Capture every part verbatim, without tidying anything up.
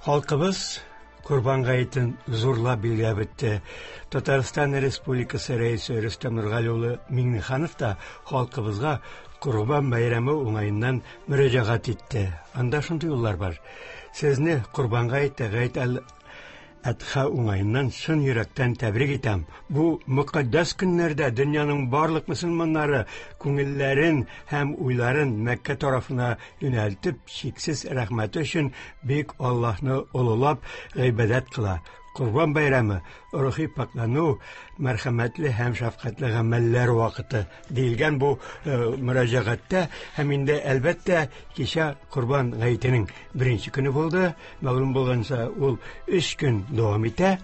Халкыбыз Корбан гаетен зурлап билгеләп үтте. Татарстан Республикасы Рәисе Рөстәм Нургали улы Миңнеханов та халкыбызга Корбан бәйрәме уңаеннан мөрәҗәгать итте. Анда шундый юллар бар. Сезне Корбан гаете, Гает әл-Адха уңаеннан чын йөрәктән тәбрик итәм. Бу мөкатдәс көннәрдә дөньяның барлык мөселманнары күңелләрен һәм уйларын Мәккә тарафына юнәлтеп, чиксез рәхмәте өчен бөек Аллаһны олылап гыйбадәт кыла. Корбан бәйрәме рухи пакьлану, мәрхәмәтле һәм шәфкатьле гамәлләр вакыты диелгән бу мөрәҗәгатьтә. Һәм инде әлбәттә кичә Корбан гаетенең беренче көне булды. Мәгълүм булганча, ул өч көн дәвам итә.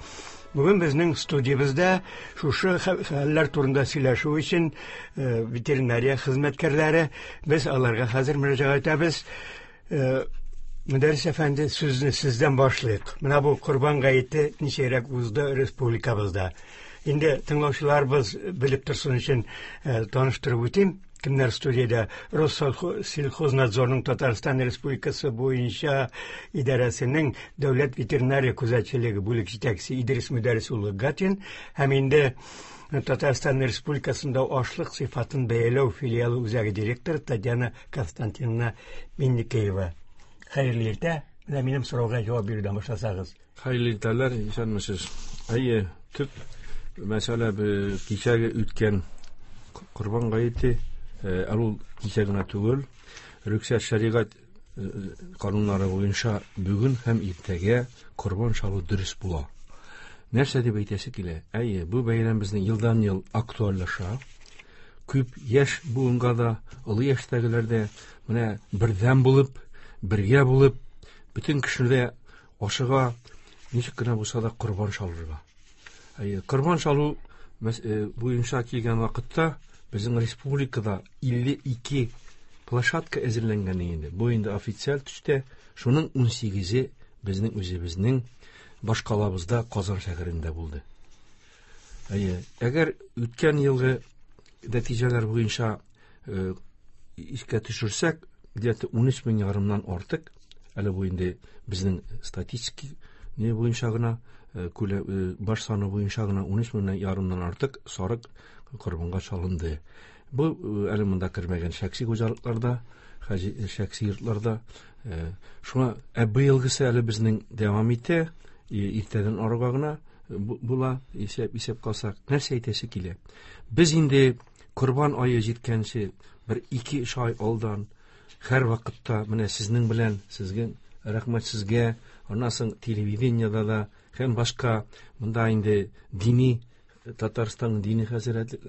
Бүген безнең студиябездә шушы хәлләр турында сөйләшү өчен ветеринария хезмәткәрләре, без аларга хәзер мөрәҗәгать итәбез. Мөдәррис әфәнде, сүзне сездән башлыйк. Менә бу Корбан гаете ничәрәк узды республикабызда? Инде тыңлаучыларыбыз белеп торсын өчен таныштырып үтим. Кемнәр студиядә? Россельхознадзорның Татарстан Республикасы буенча идарәсенең дәүләт ветеринария күзәтчелеге бүлек җитәкчесе Идрис Мөдәррис улы Гатин һәм инде Татарстан Республикасында ашлык сыйфатын бәяләү филиалы үзәге директоры Татьяна Константиновна Минникеева. Хәерле иртә. Менә минем сорауга җавап бирүдән башласагыз. Хәерле иртәләр, исәнмесез. Әйе, төп мәсьәлә кичәге үткән Корбан гаете, әле ул кичә генә түгел, рөхсәт шәригать кануннары буенча бүген һәм иртәгә корбан чалу дөрес була. Нәрсә дип әйтәсе килә? Әйе, бу бәйрәм безнең елдан-ел актуальлаша. Күп яшь буынга да, олы яшьтәгеләр дә менә бердәм булып, бергә булып, бөтен кешеләр ашыга, ничек кенә булса да корбан чалырга. Әйе, корбан чалу буенча килгән вакытта безнең республикада илле ике площадка әзерләнгән инде. Бу инде официаль төстә, шуның ун сигезе безнең үзебезнең башкалабызда Казан шәһәрендә булды. Әйе, әгәр үткән елгы нәтиҗәләр буенча искә төшерсәк, где-то ун өч мең ярымнан артык, әле бу инде безнең статистик не буенча гына, баш саны буенча гына ун өч мең ярымнан артык сарык корбанга чалынды. Бу әле монда кермәгән шәхси хуҗалыкларда, шәхси йортларда. Шуңа ә быелгысы әле безнең дәвам итә, иртәдән арыга гына була, исәп, исәп калсак. Нәрсә әйтәсе килә? Без инде корбан ае җиткәнче бер ике-өч ай алдан һәр вакытта менә сезнең белән, сезгә рәхмәт сезгә, аннан соң телевидениедә дә һәм башка монда инде дини Татарстанның дини хәзрәте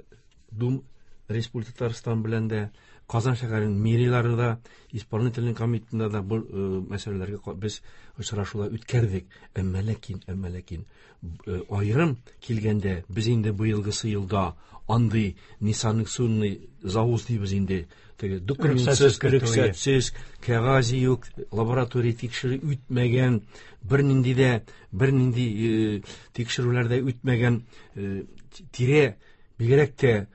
Дум Республика Татарстан белән дә, Казан шәһәренең мэрилары да, исполнительный комитетында да бу мәсьәләләргә без очрашулар үткәрдек. Әмма ләкин, әмма ләкин аерым килгәндә без инде быелгысы елда андый несанкционный завоз дибез инде. Теге документсыз, рөхсәтсез, кәгазе юк, лаборатория тикшерү үтмәгән, бернинди дә, бернинди тикшерүләр дә үтмәгән тире, бигрәк тә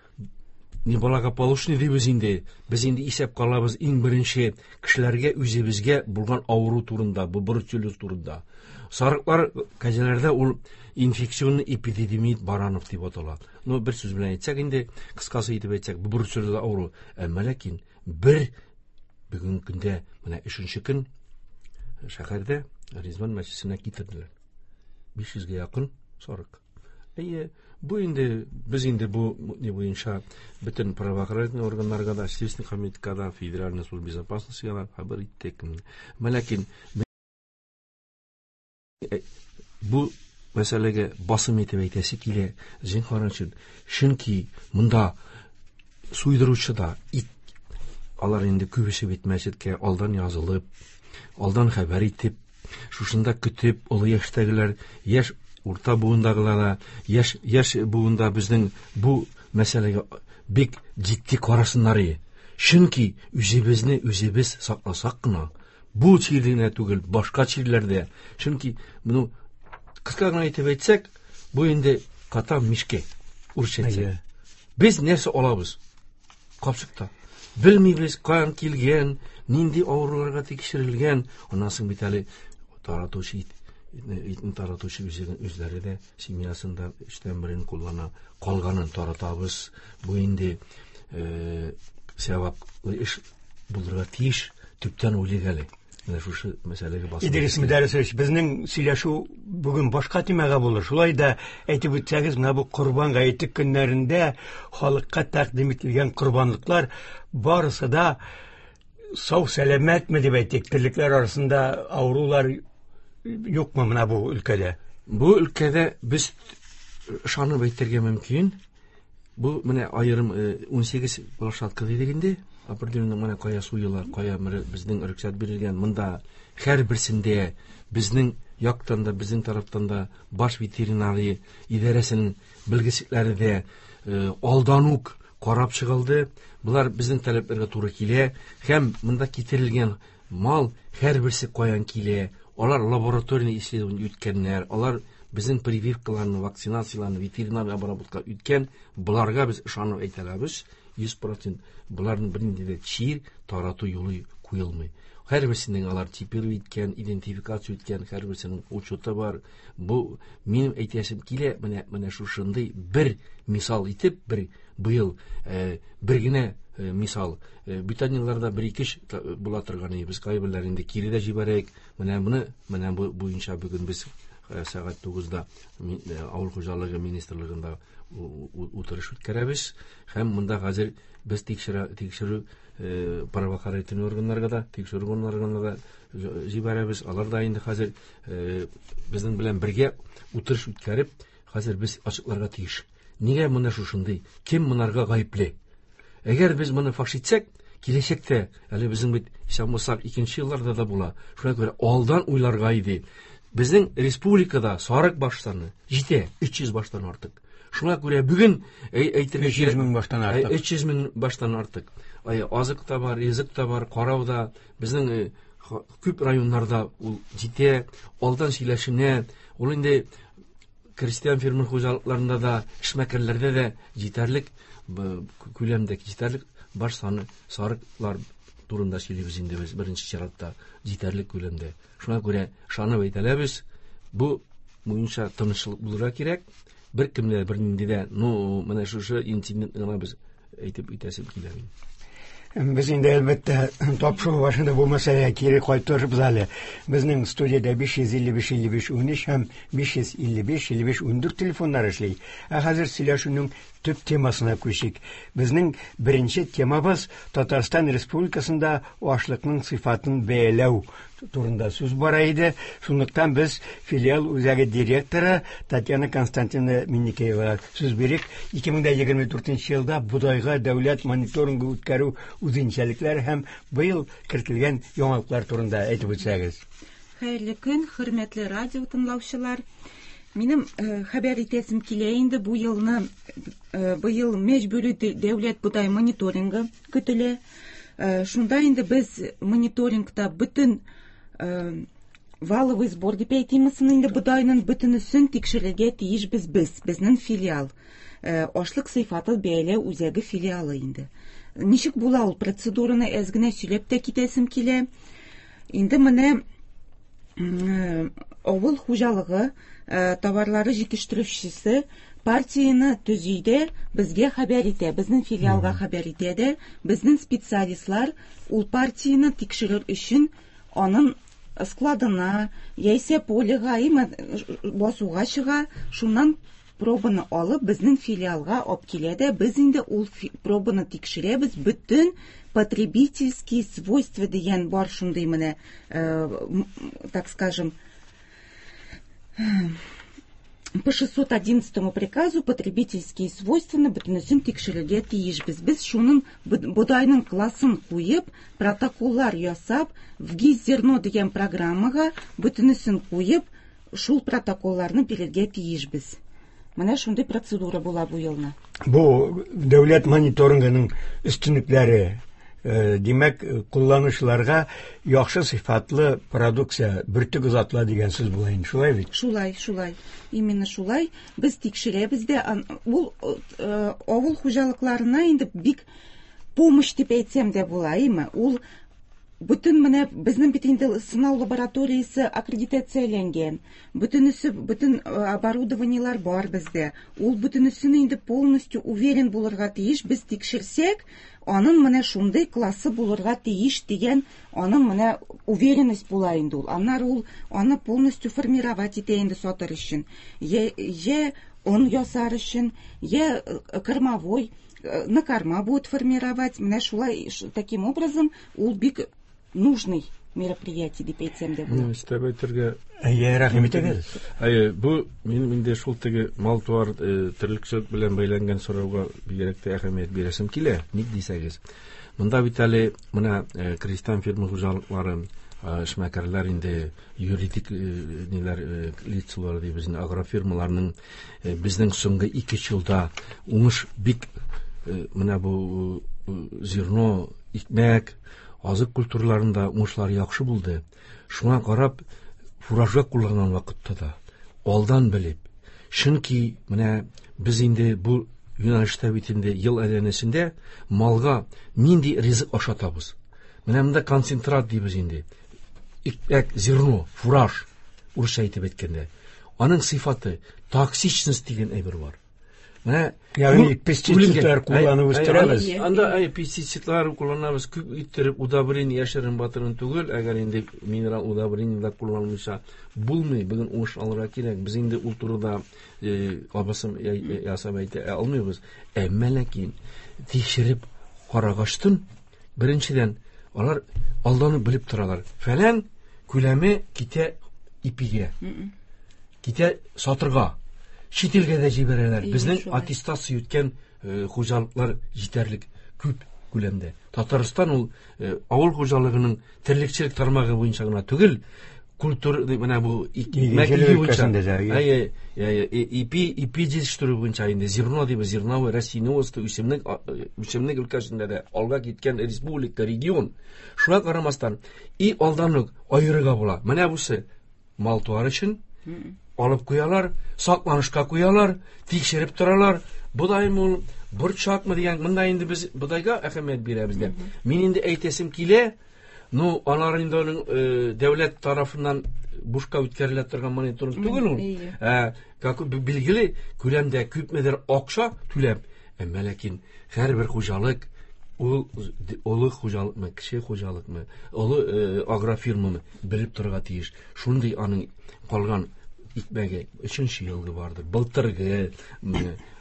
неблагополучный дибез инде. Без инде исәп калабыз иң беренче кешеләргә, үзебезгә булган авыру турында, бу бруцеллез турында. Сарыклар, кәҗәләрдә ул инфекционный эпидемия баранов дип атала. Ну, бер сүз белән әйтсәк инде, кыскасы итеп әйтсәк, бу бруцеллез авыру. Әмма ләкин бер бүгенге көндә менә өченче көн шәһәрдә Ризван мәчетенә китерделәр. Биш йөзгә якын сарык. Әйе, бу инде без инде бу ни буенча бөтен правоохранительный органнарга да, Следственный комитетка да, Федеральная служба безопасности да хәбәр иттек. Әмма ләкин бу мәсьәләгә басым итеп әйтәсе килә, зинһар өчен. Чөнки монда суйдыручы да ит, алар инде күбесе бит мәчеткә алдан язылып, алдан хәбәр итеп, шушында көтеп, олы яшьтәгеләр, яшь урта буындагылар да, яшь, яшь буында безнең бу мәсьәләгә бик җитди карасыннар иде. Чөнки үзебезне үзебез сакласак кына, бу чир генә түгел, башка чирләрдә. Чөнки моны кыска гына әйтеп әйтсәк, бу инде кота в мешке, урысча әйтсәк. Без нәрсә алабыз? Капчыкта. Белмибез, каян килгән, нинди авыруларга тикшерелгән. Аннан соң бит әле Таратучы ит, итне таратучы үзләре дә семьясында өчтән берен куллана, калганын таратабыз. Бу инде саваплы эш булырга тиеш, төптән уйлыйк әле. Менә шушы мәсьәләгә басып. Идрис Мөдәррисович, безнең сөйләшү бүген башка темага булыр. Шулай да әйтеп үтсәгез, менә бу Корбан гаете көннәрендә халыкка тәкъдим ителгән корбанлыклар барысы да сау сәламәтме дип әйтик, терлекләр арасында авырулар юкмы менә бу өлкәдә? Бу өлкәдә без ышанып әйтергә мөмкин. Бу менә аерым ун сигез площадка дидек инде. Определенный менә кая суела, кая безнең рөхсәт бирелгән. Монда һәр берсендә безнең яктан да, безнең тарафтан да баш ветеринария идарәсенең белгечлекләре дә алдан ук карап чыгылды. Булар безнең таләпләргә туры килә һәм монда китерелгән мал һәр берсе каян килә. Алар лаборатория исследование үткәннәр, алар безнең прививкаларны, вакцинацияларны, ветеринар обработка үткән. Буларга без ышанып әйтә алабыз, йөз процент буларның бернинди дә чир тарату юлы куелмый. Һәр берсенең алар типировать иткән, идентификация үткән, һәр берсенең учеты бар. Бу минем әйтәсем килә, менә, менә шушындый бер мисал итеп, бер быел, э, бер генә, э, мисал. Э, бүтән елларда бер ике эш була торган иде. Без кайберләрен инде кире дә җибәрәйек. Менә моны, менә бу буенча бүген без, э, сәгать тугызда ми-, э, авыл хуҗалыгы министрлыгында у-, у-, утырыш үткәрәбез. Һәм монда хәзер без тикшерә, тикшерү, э, правоохранительный органнарга да, тикшерү органнарына да җибәрәбез. Алар да инде хәзер, э, безнең белән бергә утырыш үткәреп, хәзер без ачыкларга тиеш. Нигә моны шушындый? Кем монарга гаепле? Әгәр без моны фаш итсәк, киләчәктә әле безнең бит исән булсак икенче елларда да була. Шуңа күрә алдан уйларга иде. Безнең республикада сарык баш саны җитә өч йөз баштан артык. Шуңа күрә бүген әй-, әйтергә Өч йөз кирәк, мең баштан әй, артык. өч йөз мең баштан артык. Ай, азык та бар, ризык та бар, карау да. Безнең, э, ха-, күп районнарда ул җитә, алдан сөйләшенә. Ул инде крестьян фермер хуҗалыкларында да, эшмәкәрләрдә дә җитәрлек, б-, күләмдә җитәрлек баш саны сарыклар турында сөйлибез инде без беренче чиратта җитәрлек күләмдә. Шуңа күрә ышанып әйтәләбез, бу буенча тынычлык булырга кирәк. Бер кемдә бернинди дә, ну, менә шушы инцидентны гына без әйтеп үтәсем килә минем. Без инде әлбәттә тапшыру башында бу мәсьәләгә кире кайтырбыз әле. Безнең студиядә биш йөз илле биш илле биш унөч һәм биш йөз илле биш илле биш ундүрт телефоннар эшли. Ә хәзер сөйләшүнең төп темасына күчик. Безнең беренче темабыз Татарстан Республикасында ашлыкның сыйфатын бәяләү турында сүз бара иде. Шунлыктан без филиал үзәге директоры Татьяна Константиновна Минникеевага сүз бирик. Ике мең дә егерме дүртенче елда бодайга дәүләт мониторингы үткәрү үзенчәлекләре һәм быел кертелгән яңалыклар турында әйтеп үтсәгез. Хәерле көн, хөрмәтле радио тыңлаучылар. Минем, э, хәбәр итәсем килә инде бу елны, э, быел мәҗбүри дә-, дәүләт бодай мониторингы көтелә. Э, шунда инде без мониторингта бөтен, э, валовый сбор дип әйтимме соң инде бодайның бөтенесен тикшерергә тиешбез без, безнең филиал. Э, ашлык сыйфаты бәяләү үзәге филиалы инде. Ничек була ул процедураны әз генә сөйләп тә китәсем килә. Инде менә, м, э, авыл хуҗалыгы, э, товарлары җитештерүчесе партияне төзи дә, безгә хәбәр итә, безнең филиалга Мгм. хәбәр итә дә, безнең специалистлар ул партияне тикшерер өчен аның складына, яисә полега, имә басуга чыга, шуннан пробаны алып безнең филиалга алып килә дә, без инде ул фи-, пробаны тикшерәбез, бөтен потребительские свойства дигән бар шундый менә, э, м, так скажем, по шестьсот одиннадцатому приказу потребительские свойства бөтенесен тикшерергә тиешбез. Без шуның бу-, бодайның классын куеп, протоколлар ясап, в ГИС зерно дигән программага бөтенесен куеп, шул протоколларны бирергә тиешбез. Менә шундый процедура була бу елны. Бу дәүләт мониторингының өстенлекләре, э, димәк, кулланучыларга яхшы сыйфатлы продукция, бөртек озатыла дигән сүз була инде, шулай бит? Шулай, шулай. Именно шулай. Без тикшерәбез дә, ан-, ул, э, авыл хуҗалыкларына инде бик помощь дип әйтсәм дә була, әйме? Ул Бөтен менә безнең бит инде сынау лабораториясе аккредитацияләнгән. Бөтенесе, бөтен оборудованиелар бар бездә. Ул бөтенесен инде полностью уверен булырга тиеш. Без тикшерсәк, аның менә шундый классы булырга тиеш дигән, аның менә уверенность була инде ул. Аннары ул аны полностью формировать итә инде сатыр өчен. Я, я он ясар өчен, я кормовой, на корма будет формировать. Менә шулай, таким образом, ул бик нужный мероприятие дип әйтсәм дә була. Өстәп әйтергә Әйе, рәхим итегез. Әйе, бу минем инде шул теге мал-туар терлекчелек белән бәйләнгән сорауга бигрәк тә әһәмият бирәсем килә. Ник дисәгез, монда бит әле менә крестьян фермер хуҗалыклары, эшмәкәрләр инде юридик ниләр лицалар ди безнең агрофирмаларның безнең соңгы ике елда уңыш бик менә бу зерно, икмәк, азык культураларында уңышлар яхшы булды. Шуңа карап фуражга кулланган вакытта да алдан белеп, чөнки менә без инде бу юнәлештә бит инде ел әйләнәсендә малга нинди ризык ашатабыз. Менә монда концентрат дибез инде. Икмәк, зерно, фураж, урысча әйтеп әйткәндә. Аның сыйфаты, токсичность дигән әйбер бар. Менә ягъни пестицидлар кулланып үстерәбез. Анда ай пестицидлар кулланабыз, күп иттереп удобрение яшерен батырын түгел, әгәр инде минерал удобрениеләр кулланылмыйча булмый, бүген уңыш алырга кирәк. Без инде ул турыда абысым ясап әйтә алмыйбыз. Әмма ләкин тикшереп карагачтын, беренчедән, алар алдан ук белеп торалар. Фәлән күләме китә ипигә, китә сатырга. Чит илгә дә җибәрәләр. Безнең аттестация үткән хуҗалыклар җитәрлек күп күләмдә. Татарстан ул авыл хуҗалыгының терлекчелек тармагы буенча гына түгел, культура менә бу икмәк буенча, әйе, ипи, ипи җитештерү буенча инде зерно дип, зерновой растениеводство, үсемлек, үсемлек өлкәсендә дә алга киткән республика, регион. Шуңа карамастан, и алдан ук аерырга була. Менә бусы мал-туар өчен алып куялар, сакланышка куялар, тикшереп торалар. Бодаймы ул, борчакмы дигән, монда инде без бодайга әһәмият бирәбез дә. Мин инде әйтәсем килә, ну, алар инде аның дәүләт тарафыннан бушка үткәрелә торган мониторинг түгел ул. Ә, как билгеле, күләмдә күпмедер акча түләп, әмма ләкин һәрбер хуҗалык ул олы хуҗалыкмы, кече хуҗалыкмы, олы агрофирмамы белеп торырга тиеш. Шундый аның калган икмәге өченче елгы бардыр, былтыргы,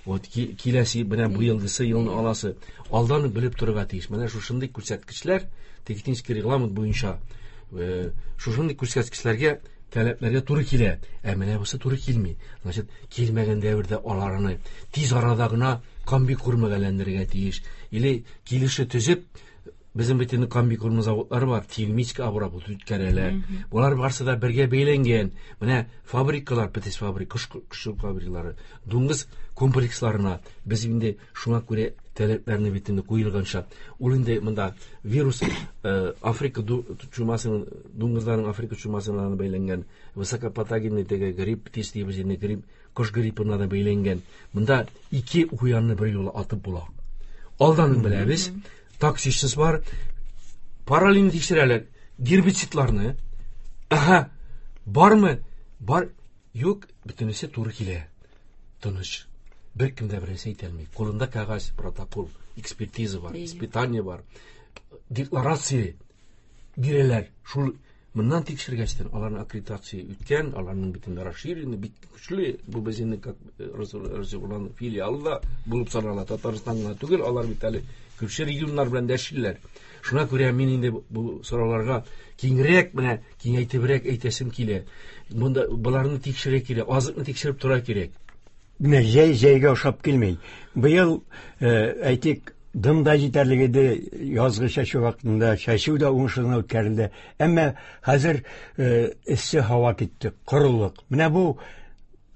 вот киләсе, менә бу елгысы елны аласы, алдан ук белеп торырга тиеш. Менә шушындый күрсәткечләр технический регламент буенча шушындый күрсәткечләргә, таләпләргә туры килә. Ә менә бусы туры килми. Значит, килмәгән дәвердә аларны тиз арада гына комбикормга әйләндерергә тиеш. Или килеше төзеп, безнең бит инде комбикорм заводлары бар, термический обработка үткәрәләр. Булар барсы да бергә бәйләнгән. Менә фабрикалар, птиц фабрик, кош, кош фабрикалары, дуңгыз комплексларына без инде шуңа күрә таләпләрне бит инде куелганча. Ул инде монда вирус, Африка чумасының, дуңгызларның Африка чумасына бәйләнгән, высокопатогенный теге грипп, птиц дибез инде, грипп, кош гриппына да бәйләнгән. Монда ике куянны бер юлы атып була. Алдан беләбез. Токсичность бар. Параллельно тикшерәләр гербицидларны. Аһа, бармы? Бар. Юк, бөтенесе туры килә. Тыныч. Бер кем дә бернәрсә әйтә алмый. Кулында кәгазь, протокол, экспертиза бар, испытание бар. Декларация бирәләр. Шул моннан тикшергәчтән аларның аккредитация үткән, аларның бөтен расширенный, бик көчле, бу безнең как Россиянең филиалы да булып санала. Татарстан гына түгел, алар бит әле күрше регионнар белән дә эшлиләр. Шуңа күрә мин инде бу сорауларга киңрәк, менә киңәйтебрәк әйтәсем килә. Монда боларны тикшерә кирәк, азыкны тикшереп тора кирәк. Менә җәй җәйгә ошап килми. Быел, әйтик, дым да җитәрлек иде, язгы чәчү вакытында чәчү дә уңышлы үткәрелде. Әмма хәзер эссе һава китте, корылык. Менә бу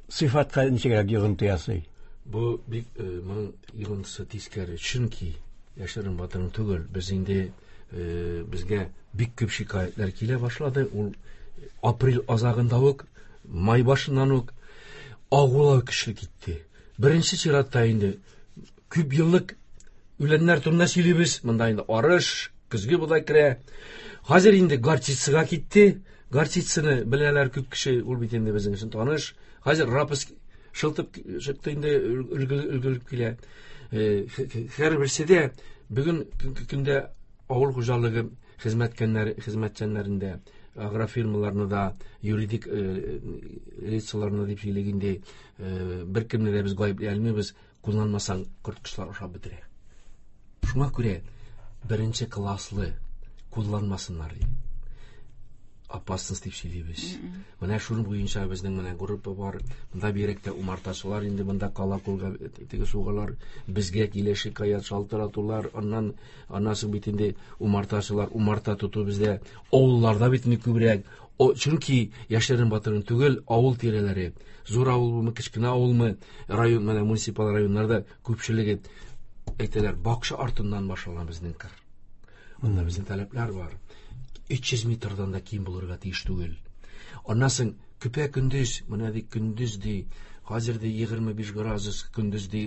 сыйфатка ничегрәк йогынты ясый? Бу бик моның йогынтысы тискәре, чөнки яшерен батырын түгел, без инде безгә бик күп шикаятьләр килә башлады. Ул апрель азагында ук, май башыннан ук агулау көчле китте. Беренче чиратта инде күп еллык үләннәр турында сөйлибез. Монда инде арыш, Көзге бодай керә. Хәзер инде горчицага китте. Горчицаны беләләр күп кеше, ул бит инде безнең өчен таныш. Хәзер рапс шылтып чыкты инде, өлгереп килә. Һәрберсе дә бүген көндә авыл хуҗалыгы хезмәткәннәре, хезмәтчәннәрендә, агрофирмаларны да, юридик лицаларны дип сөйлик инде, беркемне дә без гаепли алмыйбыз, кулланмасаң корткычлар ашап бетерә. Шуңа күрә беренче класслы кулланмасыннар ди. Опасность дип сөйлибез. Менә шуның буенча безнең менә группа бар. Монда бигрәк тә умартачылар инде монда кала-кулга теге сугалар, безгә килә шикаять шалтыратулар, аннан аннан соң бит инде умартачылар, умарта тоту бездә авылларда бит инде күбрәк. Чөнки яшерен батырын түгел, авыл тирәләре, зур авылмы, кечкенә авылмы, район, менә муниципаль районнарда күпчелеге әйтәләр, бакча артыннан башлана безнең кыр. Монда безнең таләпләр бар. Өч йөз метрдан да ким булырга тиеш түгел. Аннан соң көпә көндез, менә ди көндез ди, хәзер ди егерме биш градус көндез ди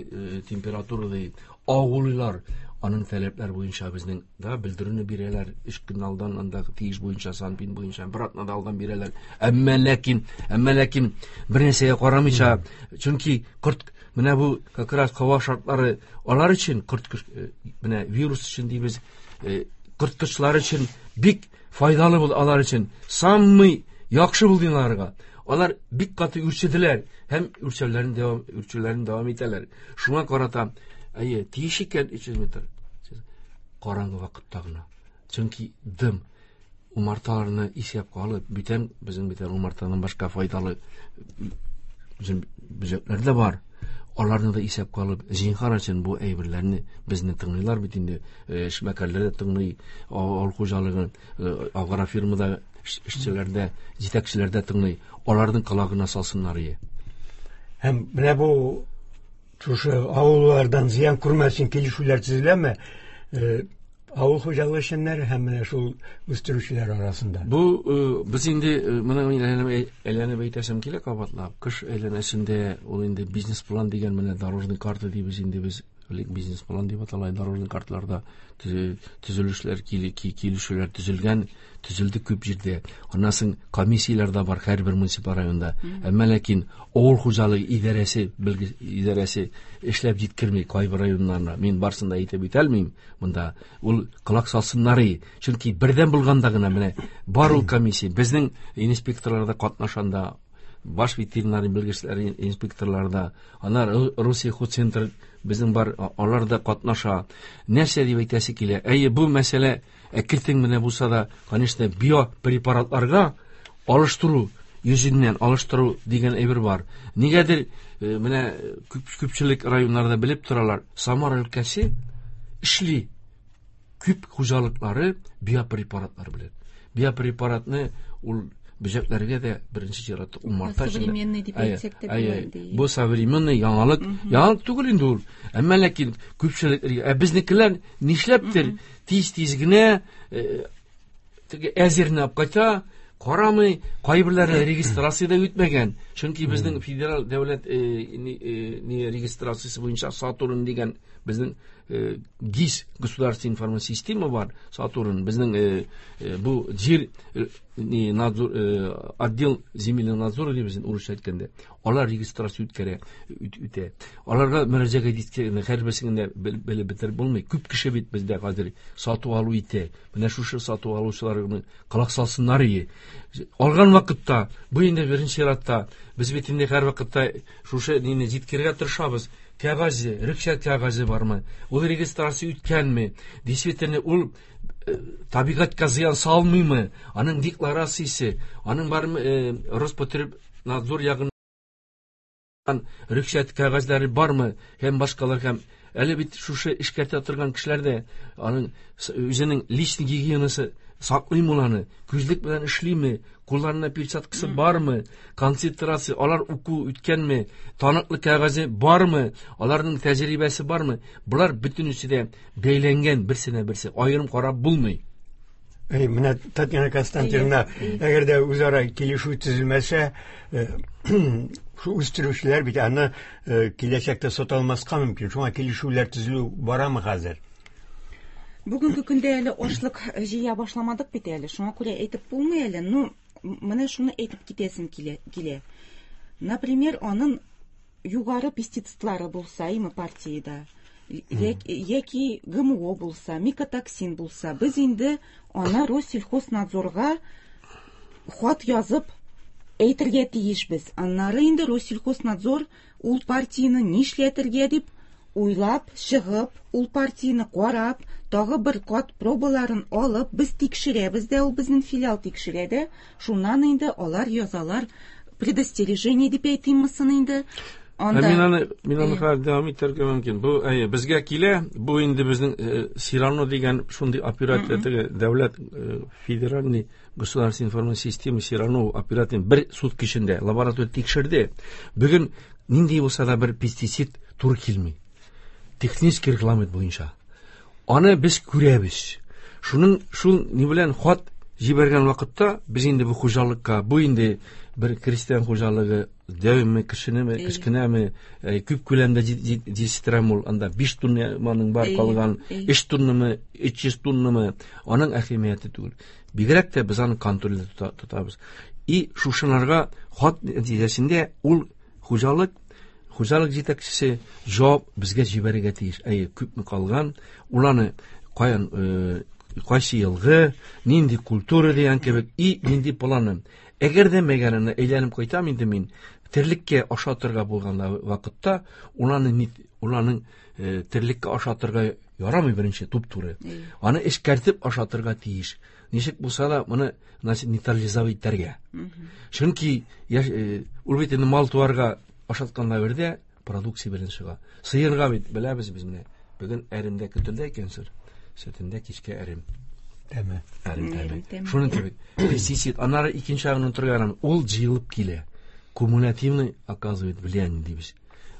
температура ди. Авыллар аның таләпләр буенча безнең да белдерүне бирәләр. Өч көн алдан анда тиеш буенча, санпин буенча бер атна да алдан бирәләр. Әмма ләкин, әмма ләкин бер нәрсәгә карамыйча, чөнки корт менә бу как раз һава шартлары алар өчен корт менә вирус өчен дибез, корткычлар өчен бик файдалы булды алар өчен. Самый яхшы булды аларга. Алар бик каты үрчеделәр һәм үрчүләрен дәвам, үрчүләрен дәвам итәләр. Шуңа карата, әйе, тиеш икән өч йөз метр. Караңгы вакытта гына. Чөнки дым умарталарны исәпкә алып, бүтән безнең бүтән умартадан башка файдалы бөҗәкләр дә бар. Аларны да исәпкә алып, зинһар өчен бу әйберләрне безне тыңлыйлар бит инде, эшмәкәрләр дә тыңлый, авыл хуҗалыгы, агрофирмада эшчеләр дә, җитәкчеләр дә тыңлый. Аларның колагына салсыннар ие. Һәм менә бу шушы авыллардан зыян күрмәсен килешүләр төзеләме? Авыл хуҗалыгы эшчәннәре һәм менә шул үстерүчеләр арасында. Бу без инде моны әйләнеп әйтәсем килә кабатлап. Кыш әйләнәсендә ул инде бизнес-план дигән менә дорожный карта дибез инде без, элек бизнес-план дип атала, дорожный карталарда төзелешләр, килешүләр төзелгән, төзелде күп җирдә. Аннан соң комиссияләр дә бар һәрбер муниципаль районда. Әмма ләкин авыл хуҗалыгы идарәсе, белге идарәсе эшләп җиткерми кайбер районнарда. Мин барсын да әйтеп үтә алмыйм монда. Ул колак салсыннар, чөнки бердәм булганда гына менә бар ул комиссия. Безнең инспекторлар да катнашанда, баш ветеринар белгечләре инспекторлар да, алар Русия хозцентр безнең бар, алар да катнаша. Нәрсә дип әйтәсе килә? Әйе, бу мәсьәлә әкертен менә булса да, конечно, биопрепаратларга алыштыру йөзеннән алыштыру дигән әйбер бар. Нигәдер менә күпчелек районнарда белеп торалар, Самара өлкәсе эшли күп хуҗалыклары биопрепаратлар белән. Биопрепаратны ул бөҗәкләргә дә беренче чиратта умарта өчен. Современный дип әйтсәк тә була инде. Бу современный яңалык, яңалык түгел инде ул. Әмма ләкин күпчелек, ә безнекеләр нишләптер тиз-тиз генә теге әзерне алып кайта, карамый, кайберләре регистрация дә үтмәгән. Чөнки безнең федераль дәүләт ни регистрациясе буенча Сатурн дигән безнең ГИС, государственная информационная система бар, Сатурн, безнең бу җир ни надзор, отдел земельного надзора дип безнең урысча әйткәндә, алар регистрация үткәрә, үтә. Аларга мөрәҗәгать иткәндә һәрберсен дә белеп бетереп булмый. Күп кеше бит бездә хәзер сату алу итә. Менә шушы сату алучыларны колак салсыннар ие. Алган вакытта, бу инде беренче чиратта, без бит инде һәр вакытта шушы нине җиткерергә тырышабыз. Кәгазе, рөхсәт кәгазе бармы? Ул регистрация үткәнме? Действительно ул табигатькә зыян салмыймы? Аның декларациясе, аның бармы Роспотребнадзор ягыннан рөхсәт кәгазьләре бармы? Һәм башкалар һәм әле бит шушы эшкәртә торган кешеләр дә аның үзенең личный гигиенасы саклыймы ул аны? Күзлек белән эшлиме? Кулларында перчаткасы бармы? Концентрация, алар уку үткәнме? Таныклык кәгазе бармы? Аларның тәҗрибәсе бармы? Булар бөтенесе дә бәйләнгән берсенә берсе, аерым карап булмый. Әй, менә Татьяна Константиновна, әгәр дә үзара килешү төзелмәсә, шу үстерүчеләр бит аны киләчәктә сата алмаска мөмкин. Шуңа килешүләр төзелү барамы хәзер? Бүгенге көндә әле ашлык җыя башламадык бит әле. Шуңа күрә әйтеп булмый әле. Ну, менә шуны әйтеп китәсем килә. Например, аның югары пестицидлары булса, име партиядә, яки ГМО булса, микотоксин булса, без инде аны Россельхознадзорга хат язып әйтергә тиешбез. Аннары инде Россельхознадзор ул партияне нишләтергә дип уйлап, чыгып, ул партияне карап, тагы бер кат пробаларын алып, без тикшерәбез дә, ул безнең филиал тикшерә дә, шуннан инде алар язалар предостережение дип әйтимме инде. Анда мин аны мин аны хәзер дәвам итәргә мөмкин. Бу әйе, безгә килә, бу инде безнең Сирано дигән шундый операция теге дәүләт федеральный государственный информацион система Сирано операция бер сутка эчендә лаборатория тикшерде. Бүген нинди булса да бер пестицид туры килми. Технический регламент буенча. Аны без күрәбез. Шуның шул ни белән хат җибәргән вакытта без инде бу хуҗалыкка, бу инде бер крестьян хуҗалыгы дәвеме, кешенеме, кечкенәме, күп күләмдә җитештерәме ул, анда биш тоннаның бар калган, өч тоннамы, өч йөз тоннамы, аның әһәмияте түгел. Бигрәк тә без аны контрольдә тотабыз. И шушынарга хат нәтиҗәсендә ул хуҗалык хуҗалык җитәкчесе җавап безгә җибәрергә тиеш. Әйе, күпме калган, ул аны каян кайсы елгы, нинди культура дигән кебек, и нинди планы. Әгәр дә мәгәнне әйләнеп кайтам инде мин, терлеккә ашатырга булган вакытта, уланы уланың терлеккә ашатырга ярамый беренче туп-туры. Аны эшкәртеп ашатырга тиеш. Ничек булса да моны нейтрализовать итәргә. Чөнки ул бит инде мал туарга ашаткан дәвердә продукция белән чыга. Сыерга бит беләбез без менә. Бүген әремдә көтелде икән сыр. Сөтендә кичкә әрем. Тәме. Әрем тәме. Шуның кебек. Пестицид, аннары икенче ягын торган, ул җыелып килә. Кумулятивный оказывает влияние дибез.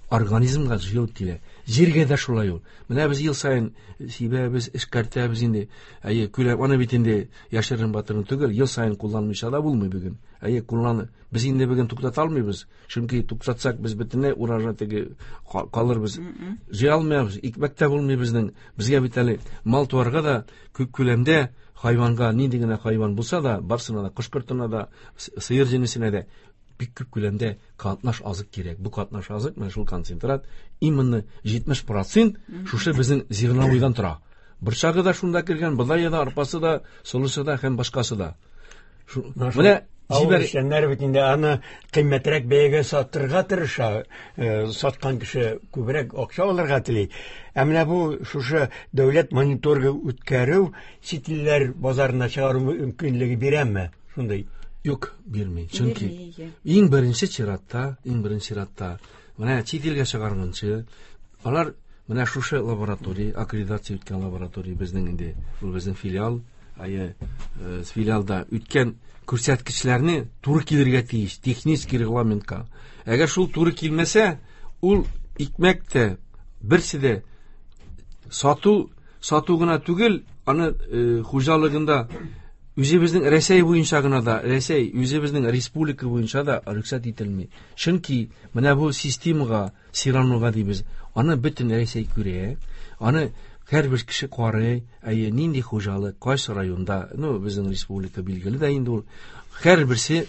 Организмга җыелып килә. Җиргә дә шулай ул. Менә без ел саен сибәбез, эшкәртәбез инде. Әйе, күләм, аны бит инде яшерен батырын түгел, ел саен кулланмыйча да булмый бүген. Әйе, кулланы. Без инде бүген туктата алмыйбыз. Чөнки туктатсак без бөтенләй урожай теге калырбыз. Җыя алмыйбыз, икмәк тә булмый безнең. Безгә бит әле мал туарга да күп күләмдә хайванга, нинди генә хайван булса да, барсына да, кош-кортына да, сыер җенесенә дә бик күп күләмдә катнаш азык кирәк. Бу катнаш азык, менә шул концентрат, именно җитмеш процент шушы безнең зерновойдан тора. Борчагы да шунда кергән, бодае да, арпасы да, солысы да һәм башкасы да. Менә авыл эшчәннәре бит инде аны кыйммәтрәк бәягә сатырга тырыша, саткан кеше күбрәк акча алырга тели. Ә менә бу шушы дәүләт мониторингы үткәрү чит илләр базарына чыгару мөмкинлеге бирәме? Шундый. Юк, бирми. Чөнки иң беренче чиратта, иң беренче чиратта менә чит илгә чыгарганчы, алар менә шушы лаборатория, аккредитация үткән лаборатория безнең инде, ул безнең филиал, әйе, филиалда үткән күрсәткечләрне туры килергә тиеш, технический регламентка. Әгәр шул туры килмәсә, ул икмәк тә берсе дә сату, сату гына түгел, аны хуҗалыгында үзебезнең Рәсәй буенча гына да, Рәсәй үзебезнең республика буенча да рөхсәт ителми. Чөнки менә бу системага, Сиранога дибез, аны бөтен Рәсәй күрә, аны һәрбер кеше карый, әйе, нинди хуҗалык, кайсы районда, ну, безнең республика билгеле дә инде ул. Һәрберсе,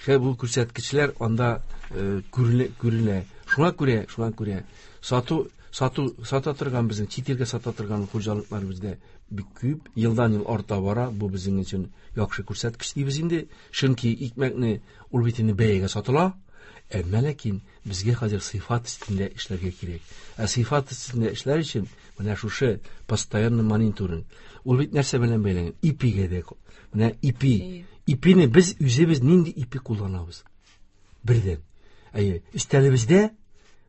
һәр бу күрсәткечләр анда күрелә, күрелә. Шуңа күрә, шуңа күрә сату, сату, сата торган безнең чит илгә сата торган хуҗалыклар бездә бик күп, елдан ел арта бара. Бу безнең өчен яхшы күрсәткеч дибез инде. Чөнки икмәкне ул бит инде бәягә сатыла. Әмма ләкин безгә хәзер сыйфат өстендә эшләргә кирәк. Ә сыйфат өстендә эшләр өчен менә шушы постоянный мониторинг. Ул бит нәрсә белән бәйләнгән? Ипигә дә. Менә ипи. Ипине без үзебез нинди ипи кулланабыз? Бердән. Әйе, өстәлебездә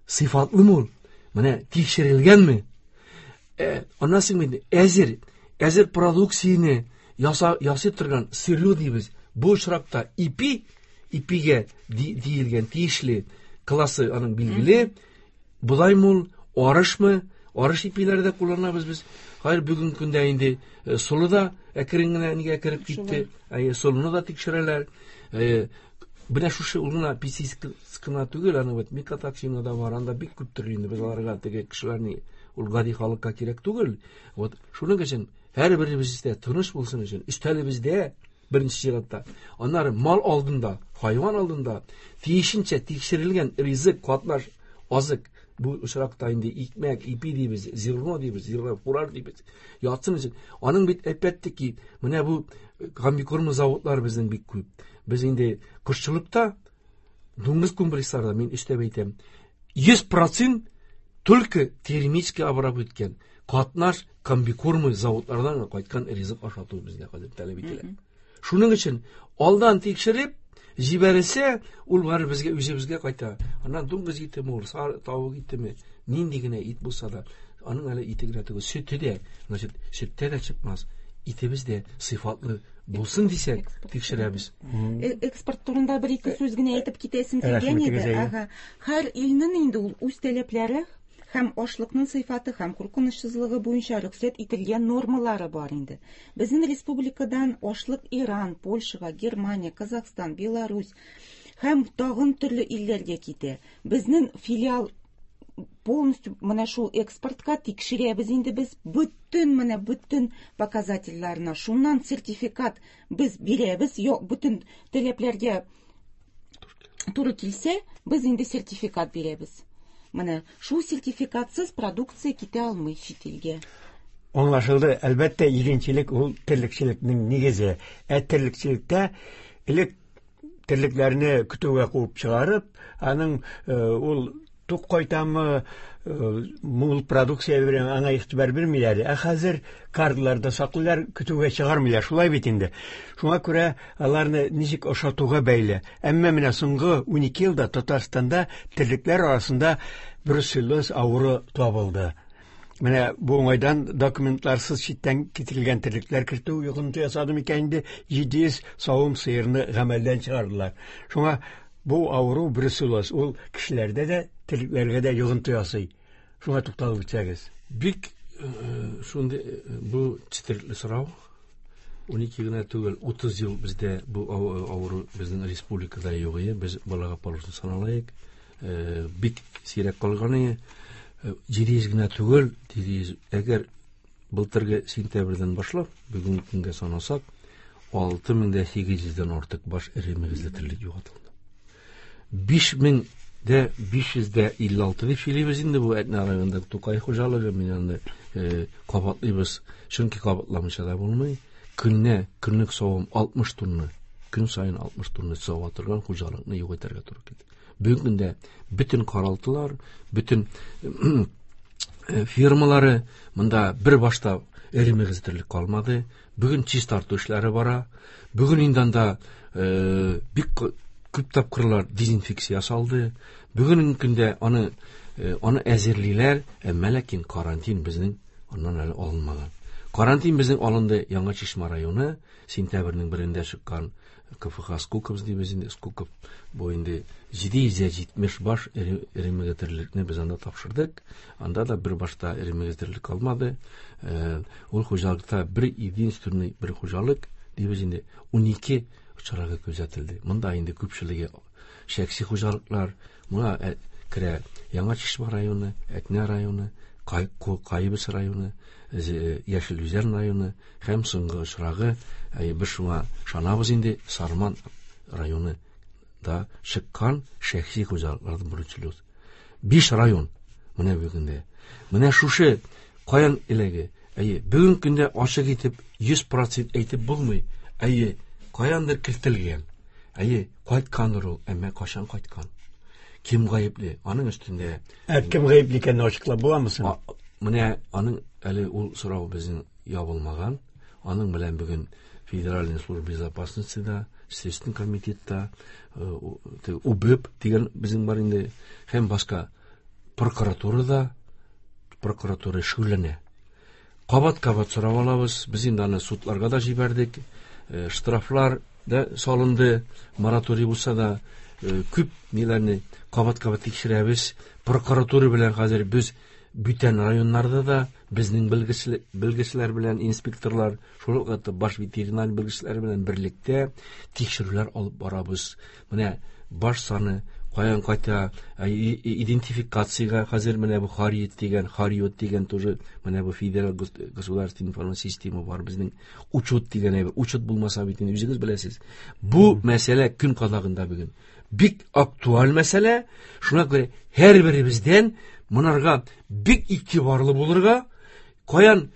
сыйфатлымы ул? Менә тикшерелгәнме? Ә, аннан соң инде әзер, әзер продукцияне яса, ясый торган сырье дибез. Бу очракта ипи, ипигә диелгән тиешле классы аның билгеле. Бодаймы ул, арышмы? Арыш ипиләре дә кулланабыз без. Хәер, бүгенге көндә инде солы да әкрен генә нигә кереп китте. Әйе, солыны да тикшерәләр. Менә шушы ул гына пестицид кына түгел, аның бит микотоксины да бар, анда бик күп төрле инде без аларга теге кешеләрне ул гади халыкка кирәк түгел. Вот шуның өчен Һәрберебездә тыныч булсын өчен, өстәлебездә беренче чиратта, аннары мал алдында, хайван алдында тиешенчә тикшерелгән ризык, катнаш азык, бу очракта инде икмәк, ипи дибез, зерно дибез, зерно фураж дибез, ятсын өчен. Аның бит әлбәттә ки, менә бу комбикорм заводлары безнең бик күп. Без инде кошчылыкта, дуңгыз комплексларда, мин өстәп әйтәм, йөз процент только термически обработкан катнаш комбикормы заводлардан кайткан ризык ашату безгә хәзер таләп ителә. Шуның өчен алдан тикшереп җибәрелсә, ул бары безгә, үзебезгә кайта. Аннан дуңгыз итеме ул, тавык итеме, нинди генә ит булса да, аның әле ите генә түгел, сөте дә, значит, сөттә дә чыкмас. Итебез дә сыйфатлы булсын дисәк, тикшерәбез. Экспорт турында бер ике сүз генә әйтеп китәсем килгән иде. Ага. Һәр илнең инде ул үз таләпләре һәм ашлыкның сыйфаты һәм куркынычсызлыгы буенча рөхсәт ителгән нормалары бар инде. Безнең республикадан ашлык Иран, Польшага, Германия, Казахстан, Беларусь һәм тагын төрле илләргә китә. Безнең филиал полностью менә шул экспортка тикшерәбез инде без бөтен менә бөтен показательләрне. Шуннан сертификат без бирәбез, бөтен таләпләргә туры килсә, без инде сертификат бирәбез. Менә шул сертификатсыз продукция китә алмый чит илгә. Аңлашылды. Әлбәттә, игенчелек ул терлекчелекнең нигезе. Ә терлекчелектә элек терлекләрне көтүгә куып чыгарып, аның ул тук кайтамы, мул продукция бирә, аңа игътибар бирмиләр. Ә хәзер карларда саклыйлар, көтүгә чыгармыйлар. Шулай бит инде. Шуңа күрә аларны ничек ашатуга бәйле. Әмма менә соңгы унике елда Татарстанда терлекләр арасында бруцеллез авыру табылды. Менә бу уңайдан документларсыз читтән китерелгән терлекләр кертү йогынты ясады микән инде, җиде йөз савым сыерны гамәлдән чыгардылар. Шуңа бу авыру бруцеллез ул кешеләрдә дә, терлекләргә дә йогынты ясый. Шуңа тукталып үтсәгез. Бик шундый бу четерекле сорау. Унике генә түгел, утыз ел бездә бу авыру безнең республикада юк иде. Без балага положено саналайык. Бик сирәк калган иде. Җиде йөз генә түгел, җиде йөз. Әгәр былтыргы сентябрьдән башлап бүгенге көнгә санасак, алты мең дә сигез йөздән артык баш эре мөгезле терлек югалтылды. Биш мең дә биш йөз дә илле алты дип сөйлибез инде бу Әтнә районында Тукай хуҗалыгы, мин аны кабатлыйбыз, чөнки кабатламыйча да булмый. Көнне көнлек савым алтмыш тонна, көн саен алтмыш тонна сава торган хуҗалыкны юк итәргә туры килде. Бүгенге көндә бөтен каралтылар, бөтен фирмалары монда бер башта эре мөгезле терлек калмады. Бүген чистарту эшләре бара. Бүген инде анда бик күп тапкырлар дезинфекция ясалды. Бүгенге көндә аны аны әзерлиләр, әмма ләкин карантин безнең аннан әле алынмаган. Карантин безнең алынды Яңа Чишмә районы, сентябрьнең берендә чыккан К Ф Х Скуков дибез инде, Скуков бу инде җиде йөз җитмеш баш эре мөгезле терлекне без анда тапшырдык. Анда да бер башта эре мөгезле терлек калмады. Ул хуҗалыкта бер единственный бер хуҗалык дибез инде унике очрагы күзәтелде. Монда инде күпчелеге шәхси хуҗалыклар, моңа керә Яңа Чишмә районы, Әтнә районы, Кайбыч районы, Яшел Үзән районы һәм соңгы очрагы, без шуңа ышанабыз инде, Сарман районы да чыккан шәхси хуҗалыклардан бруцеллез. Биш район менә бүгендә. Менә шушы каян эләге? Әйе, бүгенге көндә ачык итеп йөз процент әйтеп булмый. Әйе, каяндыр кертелгән. Әйе, кайткандыр ул, әмма кашан кайткан? Кем гаепле? Аның өстендә. Ә кем гаепле икәнен ачыклап буламы соң? Менә аның әле ул сорау безнең ябылмаган. Аның белән бүген Федеральная служба безопасности да, Следственный комитетта, УБЭП дигән безнең бар инде, һәм башка прокуратурада, прокуратура шөгыльләнә. Кабат-кабат сорап алабыз. Без инде аны судларга да җибәрдек. Штрафлар да салынды, мораторий булса да, күп ниләрне кабат-кабат тикшерәбез. Прокуратура белән хәзер без бүтән районнарда да безнең белгечләр белән инспекторлар, шул ук вакытта баш ветеринар белгечләр белән берлектә тикшерүләр алып барабыз. Менә баш саны каян кайта, идентификациягә хәзер менә бу Хариет дигән, Хариот дигән тоже менә бу федераль государственный информацион система бар безнең, учет дигән әйбер. Учет булмаса бит инде үзегез беләсез. Бу мәсьәлә көн кадагында бүген. Бик актуаль мәсьәлә. Шуңа күрә һәрберебездән монарга бик игътибарлы булырга, каян